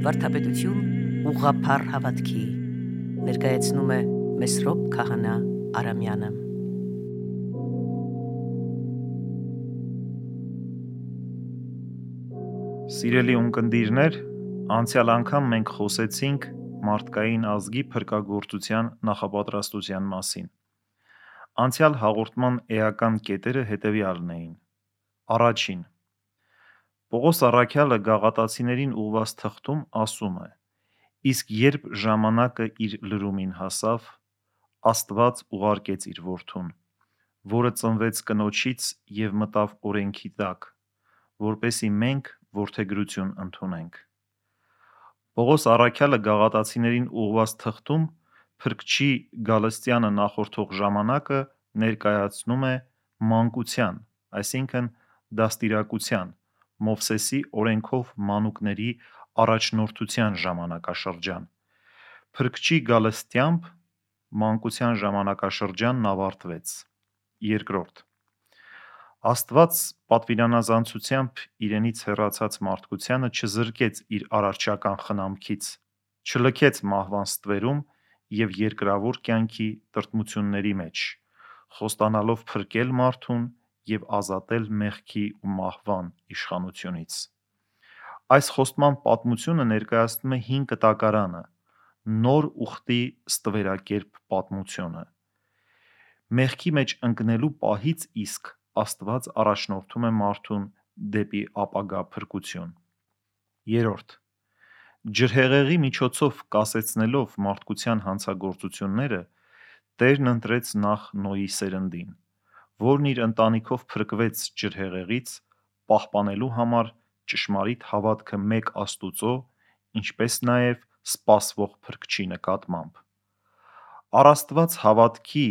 Վարդապետություն ուղղափառ հավատքի ներկայացնում է Մեսրոպ Քահանա Արամյանը։ Սիրելի ունկնդիրներ, անցյալ անգամ մենք խոսեցինք մարդկային ազգի փրկagorցության նախապատրաստության մասին։ Անցյալ հաղորդման էական կետերը հետևյալն էին. Առաջին. Պողոս առաքյալը գաղատացիներին ուղված թղթում ասում է. իսկ երբ ժամանակը իր լրումին հասավ, Աստված ուղարկեց իր որդուն, որը ծնվեց կնոջից և մտավ օրենքի տակ, որպեսզի մենք որդեգրություն ընդունենք։ Պողոս առաքյալը գաղատացիներին ուղված թղթում Փրկչի գալստյանը նախորդող ժամանակը ներկայացնում է մանկության, այսինքն դաստիարակության, Մովսեսի օրենքով մանուկների առաջնորդության ժամանակաշրջան։ Փրկչի գալստյամբ մանկության ժամանակաշրջանն ավարտվեց։ Երկրորդ. Աստված պատվիրանազանցությամբ իրենից հեռացած մարդկությանը չզրկեց իր արարչական խնամքից, չլքեց մահվան ստվերում և երկրավոր կյանքի տրտմությունների մեջ, խոստանալով փրկել մարդուն և ազատել մեղքի ու մահվան իշխանությունից։ Այս խոստման պատմությունը ներկայացնում է հին կտակարանը, նոր ուխտի ստվերակերպ պատմությունը։ Մեղքի մեջ ընկնելու պահից իսկ Աստված առաջնորդում է մարդուն դեպի ապագա փրկություն։ Երրորդ. ջրհեղեղի միջոցով կասեցնելով մարդկության հանցագործությունները, Տերն ընտրեց նախ Նոյի սերնդին, որն իր ընտանիքով փրկվեց ջրհեղեղից, պահպանելու համար ճշմարիտ հավատքը մեկ Աստուծո, ինչպես նաև սպասվող Փրկչի նկատմամբ։ Առաստված հավատքի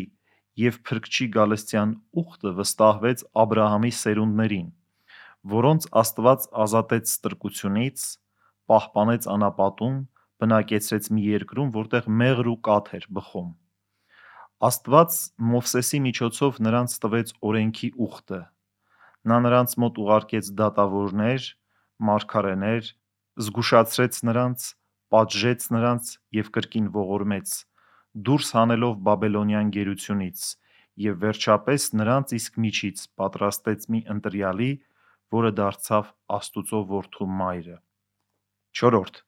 և Փրկչի գալստյան ուխտը վստահվեց Աբրահամի սերունդներին, որոնց Աստված ազատեց ստրկությունից, պահպանեց անապատում, բնակեցրեց մի երկրում, որտեղ մեղր ու կաթ էր բխում։ Աստված Մովսեսի միջոցով նրանց տվեց օրենքի ուխտը։ Նա նրանց մոտ ուղարկեց դատավորներ, մարգարեներ, զգուշացրեց նրանց, պատժեց նրանց և կրկին ողորմեց, դուրս հանելով Բաբելոնյան գերությունից և վերջապես նրանց իսկ միջից պատրաստեց մի ընտրյալի, որը դարձավ Աստուծո որդու մայրը։ Չորրորդ.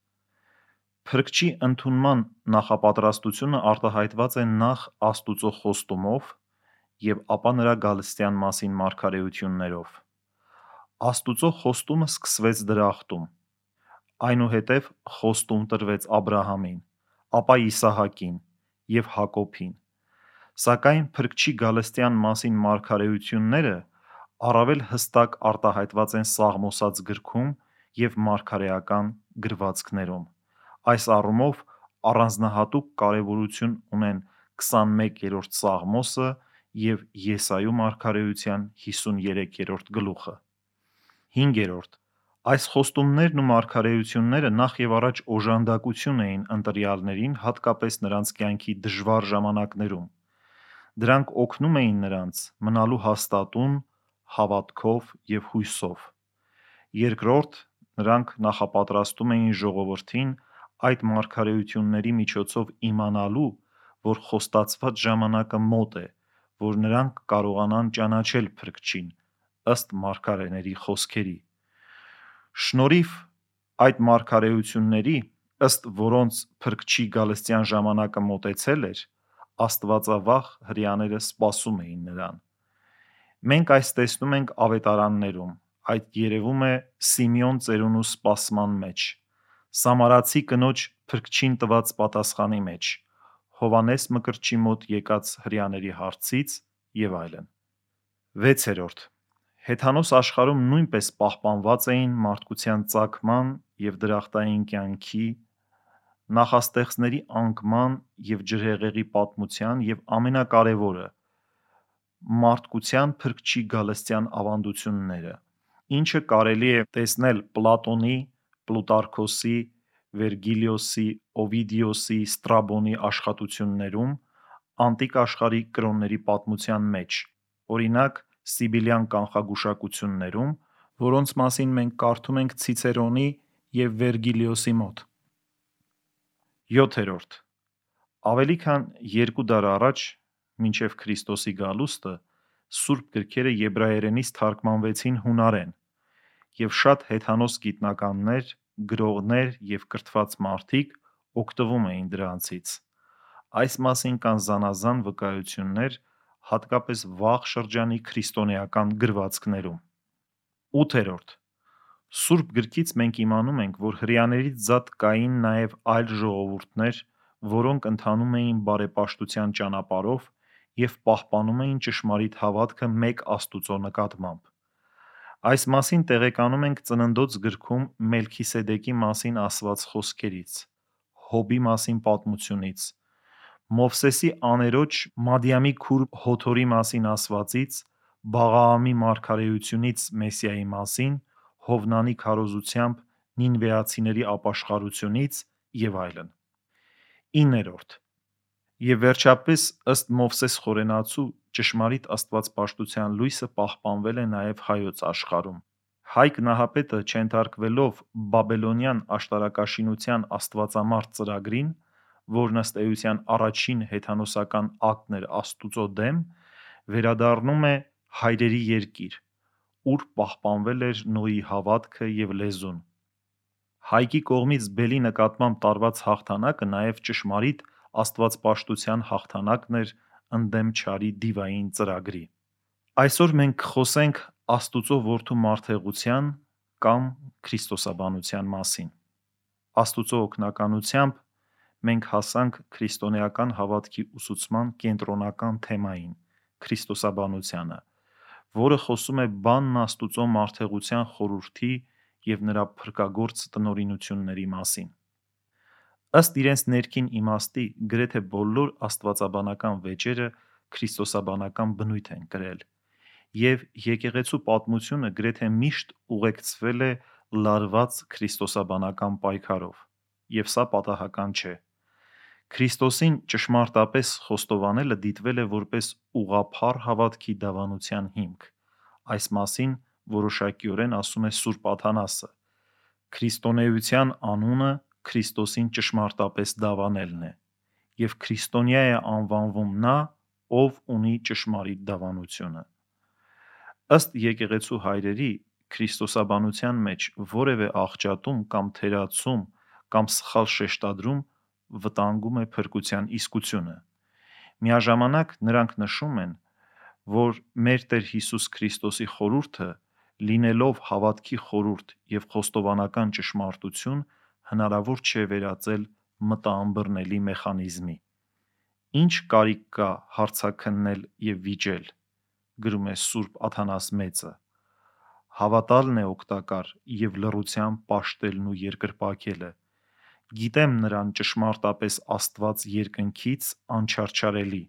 Փրկչի ընդունման նախապատրաստությունը արտահայտված է նախ Աստուծո խոստումով և ապա նրա գալստյան մասին մարգարեություններով։ Աստուծո խոստումը սկսվեց դրախտում, այնուհետև խոստում տրվեց Աբրահամին, ապա Իսահակին և Հակոբին, սակայն Փրկչի գալստյան մասին մարգարեությունները առավել հստակ արտահայտված են Սաղմոսաց գրքում և մարգարեական գրվածքներում։ Այս առումով առանձնահատուկ կարևորություն ունեն 21-րդ Սաղմոսը և Եսայու մարգարեության 53-րդ գլուխը։ Հինգերորդ. Այս խոստումներն ու մարգարեությունները նախ և առաջ օժանդակություն էին ընտրյալներին, հատկապես նրանց կյանքի դժվար ժամանակներում։ Դրանք օգնում էին նրանց մնալու հաստատուն, հավատքով և հույսով։ Երկրորդ, նրանք նախապատրաստում էին ժողովրդին այդ մարգարեությունների միջոցով իմանալու, որ խոստացված ժամանակը մոտ է, որ նրանք կարողանան ճանաչել Փրկչին, ըստ մարգարեների խոսքերի։ Շնորհիվ այդ մարգարեությունների, ըստ որոնց Փրկչի գալստյան ժամանակը մոտեցել էր, աստվածավախ հրեաները սպասում էին նրան։ Մենք այս տեսնում ենք ավետարաններում, այդ երևում է Սիմեոն ծերունու սպասման մեջ, Սամարացի կնոջ Փրկչին տված պատասխանի մեջ, Հովհաննես Մկրտչի մոտ եկած հրեաների հարցից և այլն։ 6. Հեթանոս աշխարհում նույնպես պահպանված էին մարդկության ծագման և դրախտային կյանքի, նախաստեղծների անկման և ջրհեղեղի պատմության և ամենակարևորը՝ մարդկության Փրկչի գալստյան ավանդությունները, ինչը կարելի է տեսնել Պլատոնի, Պլուտարքոսի, Վերգիլիոսի, Օվիդիոսի, Ստրաբոնի աշխատություններում, անտիկ աշխարհի կրոնների պատմության մեջ, օրինակ Սիբիլյան կանխագուշակություններում, որոնց մասին մենք կարդում ենք Ցիցերոնի և Վերգիլիոսի մոտ։ 7. Ավելի քան 2 դար առաջ, մինչև Քրիստոսի գալուստը, սուրբ գրքերը եբրայերենից թարգմանվեցին հունարեն, և շատ հեթանոս գիտնականներ, գրողներ և կրթված մարդիկ օգտվում էին դրանցից։ Այս մասին կան զանազան վկայություններ, հատկապես վաղ շրջանի քրիստոնեական գրվածքներում։ 8. Սուրբ գրքից մենք իմանում ենք, որ հրեաներից զատ կային նաև այլ ժողովուրդներ, որոնք ընթանում էին բարեպաշտության ճանապարհով և պահպանում էին ճշմարիտ հավատքը մեկ Աստծո նկատմամբ։ Այս մասին տեղեկանում ենք Ծննդոց գրքում Մելքիսեդեկի մասին ասված խոսքերից, Հոբի մասին պատմությունից, Մովսեսի աներոջ Մադիամի քուր Հոթորի մասին ասվածից, Բաղաամի մարգարեությունից Մեսիայի մասին, Հովնանի քարոզությամբ նինվեացիների ապաշխարությունից և այլն։ 9. Եվ վերջապես, ըստ Մովսես խորենացու, ճշմարիտ աստվածպաշտության լույսը պահպանվել է նաև հայոց աշխարհում։ Հայկ Նահապետը չենթարկվելով բաբելոնյան աշտարակաշինության աստվածամարդ ծրագրին, որն ըստ էության առաջին հեթանոսական ակտն էր Աստուծո դեմ, վերադառնում է հայրերի երկիր, ուր պահպանվել էր Նոյի հավատքը և լեզուն։ Հայկի կողմից բելի նկատմամբ տարված հաղթանակը նաև ճշմարիտ աստվածպաշտության հաղթանակն էր ընդդեմ չարի դիվային ծրագրի։ Այսօր մենք կխոսենք Աստուծո որդու մարդեղության կամ քրիստոսաբանության մասին։ Աստուծո օգնականությամբ մենք հասանք քրիստոնեական հավատքի ուսուցման կենտրոնական թեմային՝ քրիստոսաբանությանը, որը խոսում է բանն Աստուծո մարդեղության խորհրդի և նրա փրկագործ տնօրինությունների մասին։ Ըստ իրենց ներքին իմաստի, գրեթե բոլոր աստվածաբանական վեճերը քրիստոսաբանական բնույթ են կրել, և եկեղեցու պատմությունը գրեթե միշտ ուղեկցվել է լարված քրիստոսաբանական պայքարով, և սա պատահական չէ։ Քրիստոսին ճշմարտապես խոստովանելը դիտվել է որպես ուղղափառ հավատքի դավանության հիմք։ Այս մասին որոշակիորեն ասում է Սուրբ Աթանասը. «Քրիստոնեության անունը Քրիստոսին ճշմարտապես դավանելն է, և քրիստոնյա է անվանվում նա, ով ունի ճշմարիտ դավանությունը»։ Ըստ եկեղեցու հայրերի, քրիստոսաբանության մեջ որևէ աղճատում կամ թերացում կամ սխալ շեշտադրում վտանգում է փրկության իսկությունը։ Միաժամանակ նրանք նշում են, որ մեր Տեր Հիսուս Քրիստոսի խորհուրդը, լինելով հավատքի խորհուրդ և խոստովանական ճշմարտություն, հնարավոր չէ վերածել մտաըմբռնելի մեխանիզմի։ Ինչ կարիք կա հարցաքննել և վիճել, գրում է Սուրբ Աթանաս Մեծը։ Հավատալն է օգտակար և լռությամբ պաշտելն ու երկրպագելը։ Գիտեմ նրան ճշմարտապես Աստված երկնքից անչարչարելի,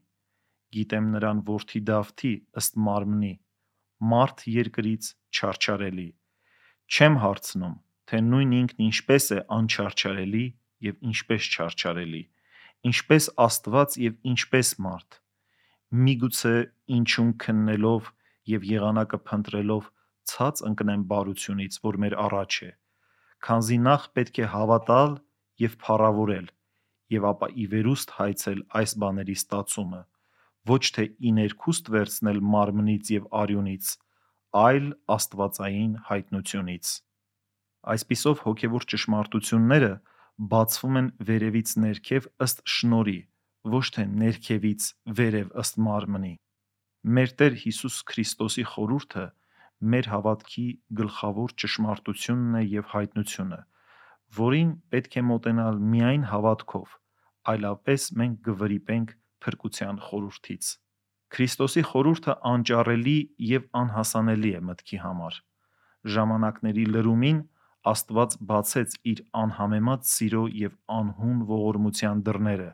գիտեմ նրան որդի Դավթի ըստ մարմնի, մարդ երկրից չարչարելի։ Չեմ հարցնում, թե նույն ինքն ինչպես է անչարչարելի և ինչպես չարչարելի, ինչպես Աստված և ինչպես մարդ։ Միգուցե ինչում քննելով և եղանակը փնտրելով ցած ընկնեմ բարությունից, որ մեր առաջ է, քանզի նախ պետք է հավատալ և փառավորել, և ապա ի վերուստ հայցել այս բաների ստացումը, ոչ թե ի ներքուստ վերցնել մարմնից և արյունից, այլ աստվածային հայտնությունից։ Այսպիսով հոգևոր ճշմարտությունները բացվում են վերևից ներքև ըստ շնորհի, ոչ թե ներքևից վերև ըստ մարմնի։ Մեր Տեր Հիսուս Քրիստոսի խորհուրդը մեր հավատքի գլխավոր ճշմարտությունն է և հայտնությունը, որին պետք է մոտենալ միայն հավատքով, այլապես մենք կվրիպենք փրկության խորհրդից։ Քրիստոսի խորհուրդը անճառելի և անհասանելի է մտքի համար։ Ժամանակների լրումին Աստված բացեց իր անհամեմատ սիրո և անհուն ողորմության դռները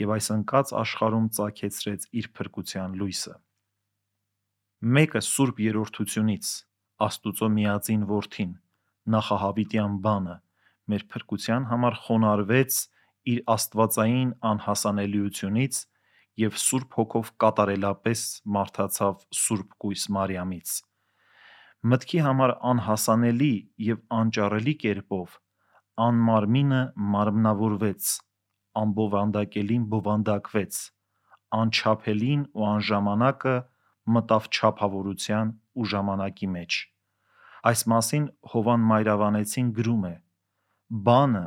և այս ընկած աշխարհում ծագեցրեց իր փրկության լույսը։ Մեկը Սուրբ Երրորդությունից, Աստուծո միածին Որդին, նախահավիտյան բանը, մեր փրկության համար խոնարհվեց իր աստվածային անհասանելիությունից և Սուրբ Հոգով կատարելապես մարդացավ Սուրբ կույս Մարիամից։ Մտքի համար անհասանելի և անճառելի կերպով անմարմինը մարմնավորվեց, անբովանդակելին բովանդակվեց, անչափելին ու անժամանակը մտավ չափավորության ու ժամանակի մեջ։ Այս մասին Հովան Մայրավանեցին գրում է. «Բանը,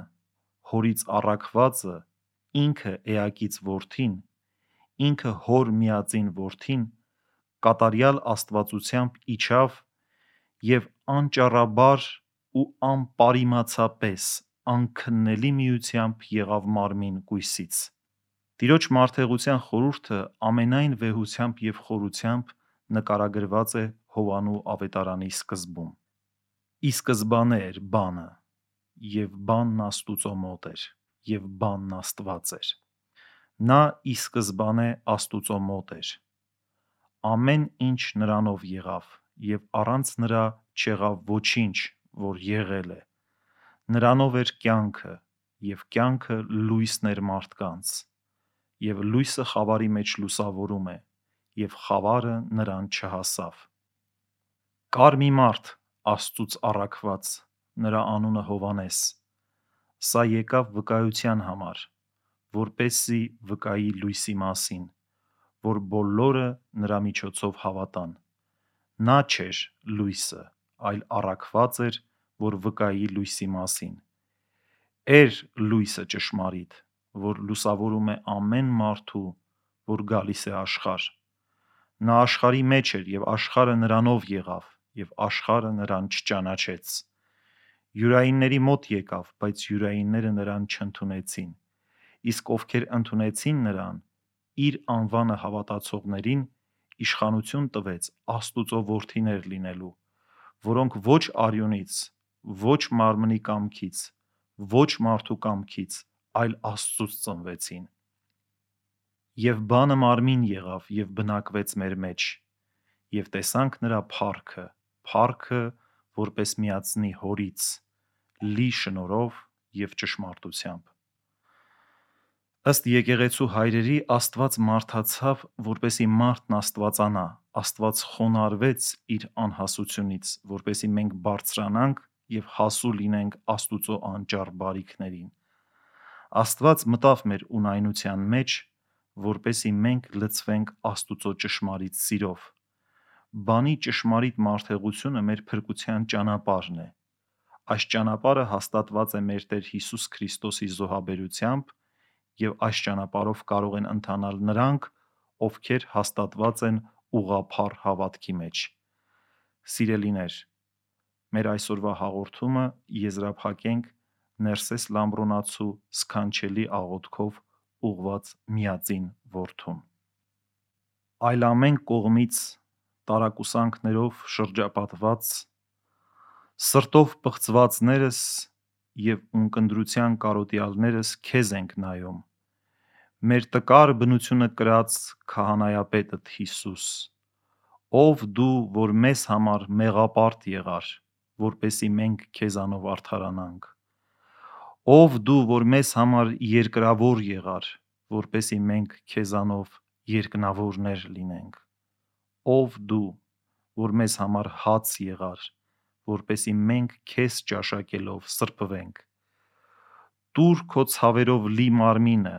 հորից առաքվածը, ինքը էակից որդին, ինքը հոր միածին որդին, կատարյալ աստվածությամբ իջավ և անճառաբար ու անպարիմացապես անքննելի միությամբ եղավ մարմին կույսից»։ Տիրոջ մարդեղության խորհուրդը ամենայն վեհությամբ և խորությամբ նկարագրված է Հովանու ավետարանի սկզբում։ Ի սկզբանե էր բանը, և բանն Աստուծո մոտ էր, և բանն Աստված էր։ Նա ի սկզբանե Աստուծո մոտ էր։ Ամեն ինչ նրանով եղավ, և առանց նրա չեղավ ոչինչ, որ եղել է։ Նրանով էր կյանքը, և կյանքը լույսն էր մարդկանց, և լույսը խավարի մեջ լուսավորում է, և խավարը նրան չհասավ։ Կար մի մարդ Աստծուց առաքված, նրա անունը Հովհաննես։ Սա եկավ վկայության համար, որպեսզի վկայի լույսի մասին, որ բոլորը նրա միջոցով հավատան։ Նա չէր լույսը, այլ առաքված էր, որ վկայի լույսի մասին։ Էր լույսը ճշմարիտ, որ լուսավորում է ամեն մարդու, որ գալիս է աշխարհ։ Նա աշխարհի մեջ էր, և աշխարհը նրանով եղավ, և աշխարհը նրան չճանաչեց։ Յուրայինների մոտ եկավ, բայց յուրայինները նրան չընդունեցին։ Իսկ ովքեր ընդունեցին նրան, իր անվանը հավատացողներին իշխանություն տվեց Աստուծո որդիներ լինելու, որոնք ոչ արյունից, ոչ մարմնի կամքից, ոչ մարդու կամքից, այլ Աստծուց ծնվեցին։ Եվ բանը մարմին եղավ և բնակվեց մեր մեջ, և տեսանք նրա փառքը, փառքը որպես միածնի հորից, լի շնորհով և ճշմարտությամբ։ Ըստ եկեղեցու հայրերի, Աստված մարդացավ, որպեսզի մարդն աստվածանա, Աստված խոնարհվեց իր անհասությունից, որպեսզի մենք բարձրանանք և հասու լինենք Աստուծո անճառ բարիքներին։ Աստված մտավ մեր ունայնության մեջ, որպեսզի մենք լցվենք Աստուծո ճշմարիտ սիրով։ Բանի ճշմարիտ մարդեղությունը մեր փրկության ճանապարհն է։ Այս ճանապարհը հաստատված է մեր Տեր Հիսուս Քրիստոսի զոհաբերությամբ, և այս ճանապարհով կարող են ընթանալ նրանք, ովքեր հաստատված են ուղղափառ հավատքի մեջ։ Սիրելիներ, մեր այսօրվա հաղորդումը եզրափակենք Ներսես Լամբրոնացու սքանչելի աղոթքով ուղղված միածին որդուն։ Այլ ամեն կողմից տարակուսանքներով շրջապատված, սրտով պղծվածներս և ունկնդրության կարոտյալներս քեզ ենք նայում, մեր տկար բնությունը կրած քահանայապետդ Հիսուս, ով դու, որ մեզ համար մեղապարտ եղար, որպեսզի մենք քեզանով արդարանանք, ով դու, որ մեզ համար երկրավոր եղար, որպեսզի մենք քեզանով երկնավորներ լինենք, ով դու, որ մեզ համար հաց եղար, որպեսզի մենք քեզ ճաշակելով սրբվենք։ Տուր քո ցավերով լի մարմինը,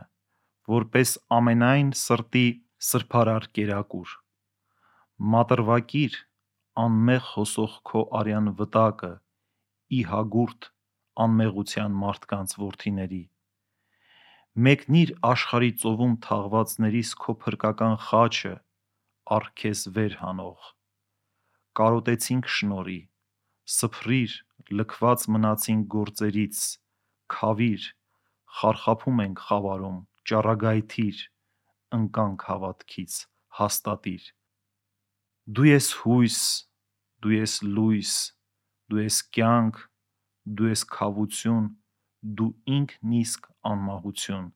որպես ամենայն սրտի սրբարար կերակուր։ Մատրվակիր անմեղ հոսող քո արյան վտակը ի հագուրդ անմեղության մարդկանց որդիների։ Մեկնիր աշխարհի ծովում թաղվածներիս քո փրկական խաչը, առ քեզ վեր հանող։ Կարոտեցինք շնորհի, սփռիր լքված մնացինք գործերից, քավիր, խարխափում ենք խավարում, ճառագայթիր, ընկանք հավատքից, հաստատիր։ Դու ես հույս, դու ես լույս, դու ես կյանք, դու ես քավություն, դու ինքն իսկ անմահություն։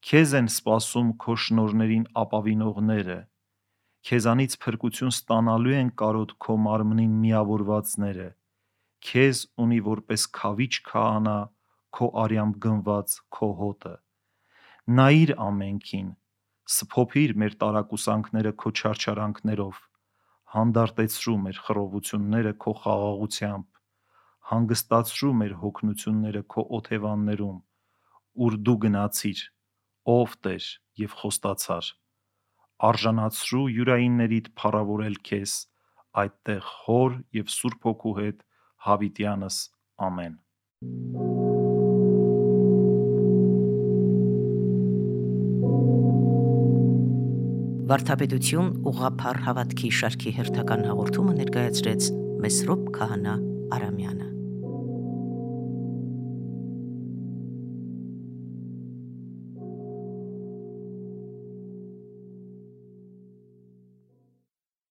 Քեզ են սպասում քո շնորհներին ապավինողները, քեզանից փրկություն ստանալու են կարոտ քո մարմնին միավորվածները, քեզ ունի որպես քավիչ քահանա քո արյամբ գնված քո հոտը։ Նայիր ամենքին, սփոփիր մեր տարակուսանքները քո չարչարանքներով, հանդարտեցրու մեր խռովությունները քո խաղաղությամբ, հանգստացրու մեր հոգնությունները քո օթևաններում, ուր դու գնացիր, ով Տեր, եւ խոստացար. արժանացրու յուրայիններիդ փառավորել քեզ այդտեղ Հոր եւ Սուրբ Հոգու հետ հավիտյանս ամեն։ Վարդապետություն ուղղափառ հավատքի շարքի հերթական հաղորդումը ներկայացրեց Մեսրոպ Քահանա Արամյանը։